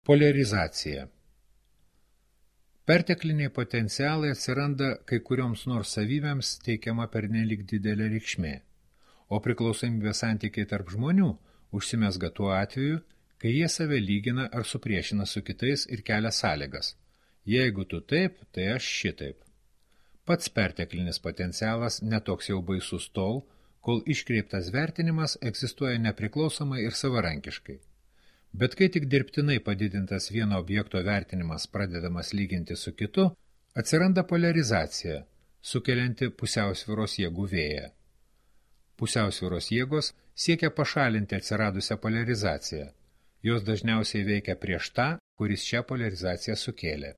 Poliarizacija. Pertekliniai potencialai atsiranda kai kurioms nors savybėms teikiama pernelyg didelė reikšmė, o priklausomybės santykiai tarp žmonių užsimezga tuo atveju, kai jie save lygina ar supriešina su kitais ir kelia sąlygas. Jeigu tu taip, tai aš šitaip. Pats perteklinis potencialas netoks jau baisus tol, kol iškreiptas vertinimas egzistuoja nepriklausomai ir savarankiškai. Bet kai tik dirbtinai padidintas vieno objekto vertinimas pradedamas lyginti su kitu, atsiranda poliarizacija, sukelianti pusiausvyros jėgų vėją. Pusiausvyros jėgos siekia pašalinti atsiradusią poliarizaciją. Jos dažniausiai veikia prieš tą, kuris šią poliarizaciją sukėlė.